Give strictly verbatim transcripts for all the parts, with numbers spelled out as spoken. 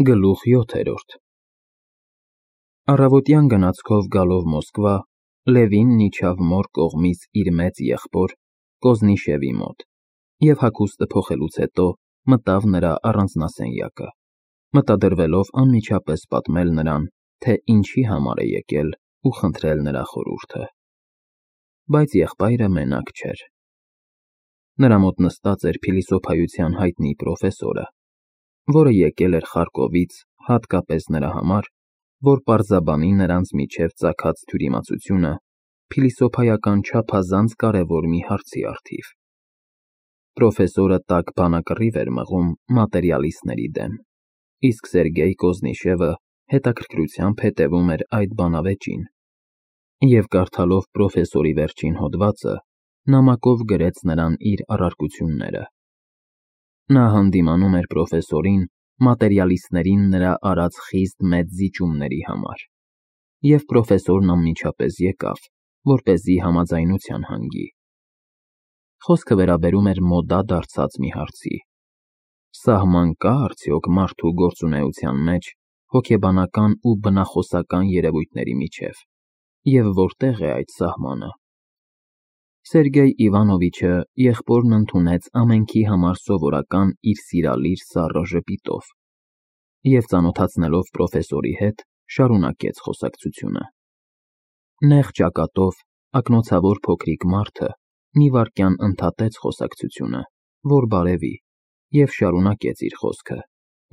Գլուխ յոթերորդ Առավոտյան գնացքով գալով Մոսկվա, Լևինն իջավ Մոր կողմից իր մեծ եղբոր Կոզնիշևի մոտ և հագուստը փոխելուց հետո մտավ նրա առանձնասենյակը, մտադրվելով անմիջապես պատմել նրան, թե ինչի համար է եկել ու խնդրել նրա խորհուրդը, բայց եղբայրը մենակ չէր. նրա մոտ նստած էր փիլիսոփայության հայտնի պրոֆեսորը, որը եկել էր Խարկովից հատկապես նրա համար, որ պարզաբանի նրանց միջև ծագած թյուրիմացությունը փիլիսոփայական չափազանց կարևոր մի հարցի առթիվ. պրոֆեսորը տաք բանակռիվ էր մղում մատերիալիստների դեմ, իսկ Սերգեյ Կոզնիշևը հետաքրքրությամբ հետևում էր այդ բանավեճին, և կարդալով պրոֆեսորի վերջին հոդվածը, նամակով գրեց նրան իր առարկությունները. նա հանդիմանում էր պրոֆեսորին մատերիալիստներին նրա արած խիստ մեծ զիջումների համար, և պրոֆեսորն անմիջապես եկավ, որպեսզի համաձայնության հանգի. խոսքը վերաբերում էր մոդա դարձած մի հարցի. սահման կա՞ արդյոք մարդու գործունեության մեջ հոգեբանական ու բնախոսական երևույթների միջև, և որտե՞ղ է այդ սահմանը: Սերգեյ Իվանովիչը եղբորն ընդունեց ամենքի համար սովորական իր սիրալիր սառը ժպիտով և, ծանոթացնելով պրոֆեսորի հետ, շարունակեց խոսակցությունը: Նեղ ճակատով, ակնոցավոր փոքրիկ մարդը մի վայրկյան ընդհատեց խոսակցությունը, որ բարևի, և շարունակեց իր խոսքը,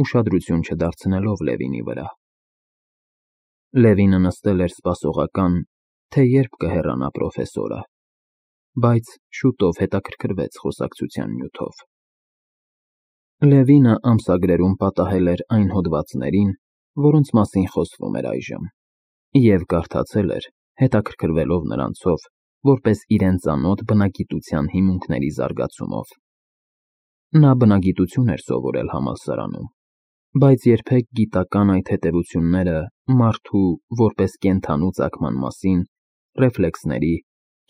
ուշադրություն չդարձնելով Լևինի վրա: Լևինը նստել էր սպասողական, թե երբ կհեռանա պրոֆեսորը, բայց շուտով հետաքրքրվեց խոսակցության նյութով: Լևինը ամսագրերում պատահել էր այն հոդվածներին, որոնց մասին խոսվում էր այժմ, և կարդացել էր, հետաքրքրվելով նրանցով, որպես իրեն ծանոթ բնագիտության հիմունքների զարգացումով: Նա բնագիտություն էր սովորել համալսարանում, բայց երբեք գիտական այդ հետևությունները մարդու, որպես կենդանու ծագման մասին, ռեֆլեքսների,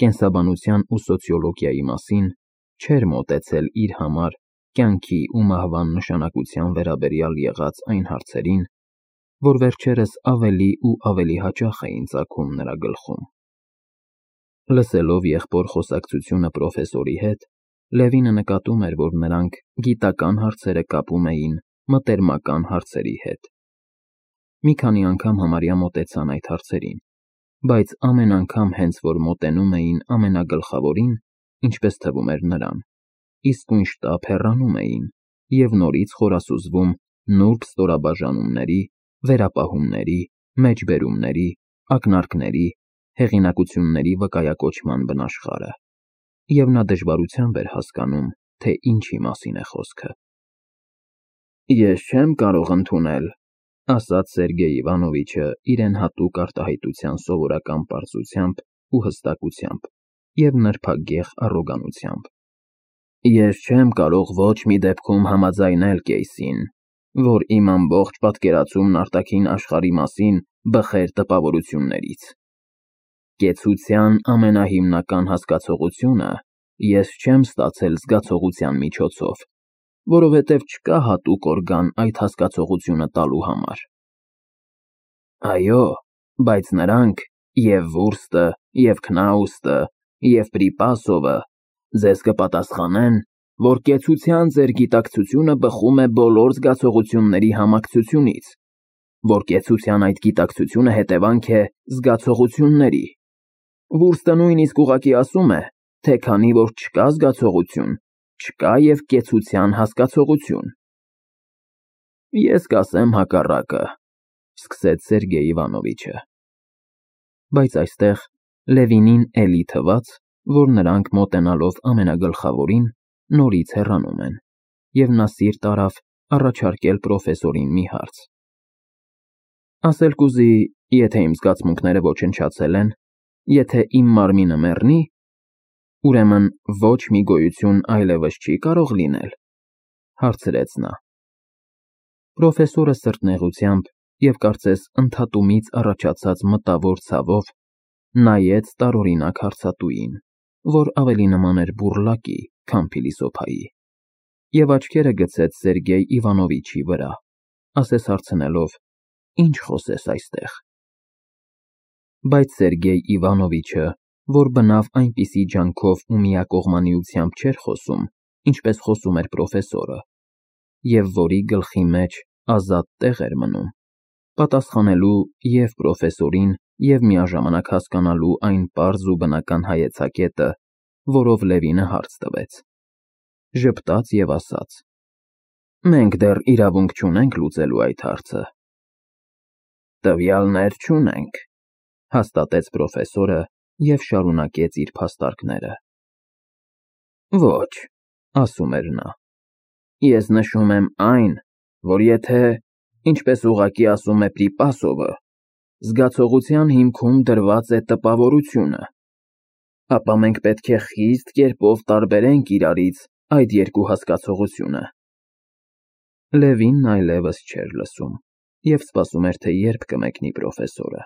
կենսաբանության ու սոցիոլոգիայի մասին չէր մոտեցել իր համար կյանքի ու մահվան նշանակության վերաբերյալ եղած այն հարցերին, որ վերջերս ավելի ու ավելի հաճախ էին ծագում նրա գլխում: Լսելով եղբոր խոսակցությունը պրոֆեսորի հետ, Լևինը նկատում էր, որ նրանք գիտական հարցերը կապում էին մտերմական հարցերի հետ: Մի քանի անգամ համարյա մոտեցան այդ հարցերին, բայց ամեն անգամ հենց որ մոտենում էին ամենագլխավորին, ինչպես թվում էր նրան, իսկույն շտապ հեռանում էին և նորից խորասուզվում նուրբ ստորաբաժանումների, վերապահումների, մեջբերումների, ակնարկների, հեղինակությունների վկայակոչման բնաշխարհը, և նա դժվարությամբ էր հասկանում, թե ինչի մասին է խոսքը: Ես չեմ կարող ընդունել, ասաց Սերգեյ Իվանովիչը իրեն հատուկ արտահայտության սովորական պարզությամբ ու հստակությամբ և նրբագեղ առոգանությամբ: Ես չեմ կարող ոչ մի դեպքում համաձայնել Կեյսին, որ իմ ամբողջ պատկերացումն արտաքին աշխարհի մասին բխեր տպավորություններից: Կեցության ամենահիմնական հասկացողությունը ես չեմ ստացել զգացողության միջոցով, որովհետև չկա հատուկ օրգան այդ հասկացողությունը տալու համար: Այո, բայց նրանք, և Վուրստը, և Քնաուսը, և Պրիպասովը ձեզ կպատասխանեն, որ կեցության ձեր գիտակցությունը բխում է բոլոր զգացողությունների համակցությունից, որ կեցության այդ գիտակցությունը հետևանք է զգացողությունների: Վուրստը նույնիսկ ուղղակի ասում է, թե քանի որ չկա զգացողություն, չկա և կեցության հասկացողություն: Ես կասեմ հակառակը, սկսեց Սերգեյ Իվանովիչը: Բայց այստեղ Լևինին էլի թվաց, որ նրանք մոտենալով ամենագլխավորին, նորից հեռանում են, և նա սիրտ արավ առաջարկել պրոֆեսորին մի հարց: Ասել կուզի, եթե իմ զգացմունքները ոչնչացել են, եթե իմ մարմինը մեռնի, ուրեմն ոչ մի գոյություն այլևս չի՞ կարող լինել, հարցրեց նա: Պրոֆեսորը սրտնեղությամբ և կարծես ընդհատումից առաջացած մտավոր ցավով նայեց տարօրինակ հարցատուին, որ ավելի նման էր բուռլակի, քան փիլիսոփայի, և աչքերը գցեց Սերգեյ Իվանովիչի վրա, ասես հարցնելով. Ինչ խոսես այստեղ։ Բայց Սերգեյ Իվանովիչը, որ բնավ այնպիսի ջանքով ու միակողմանիությամբ չէր խոսում, ինչպես խոսում էր պրոֆեսորը, և որի գլխի մեջ ազատ տեղ էր մնում, պատասխանելու և պրոֆեսորին և միաժամանակ հասկանալու այն պարզ ու բնական հայեցակետը, որով Լևինը հարց տվեց, ժպտաց և ասաց. Մենք դեռ իրավունք չունենք լուծելու այդ հարցը։ Տվյալներ չունենք, հաստատեց պրոֆեսորը և շարունակեց իր փաստարկները։ Ոչ, ասում էր նա, ես նշում եմ այն, որ եթե, ինչպես ուղղակի ասում է Պրիպասովը, զգացողության հիմքում դրված է տպավորությունը, ապա մենք պետք է խիստ կերպով տարբերենք իրարից այդ երկու հասկացողությունը։ Լևինն այլևս չէր լսում և սպասում էր, թե երբ կմեկնի պրոֆեսորը։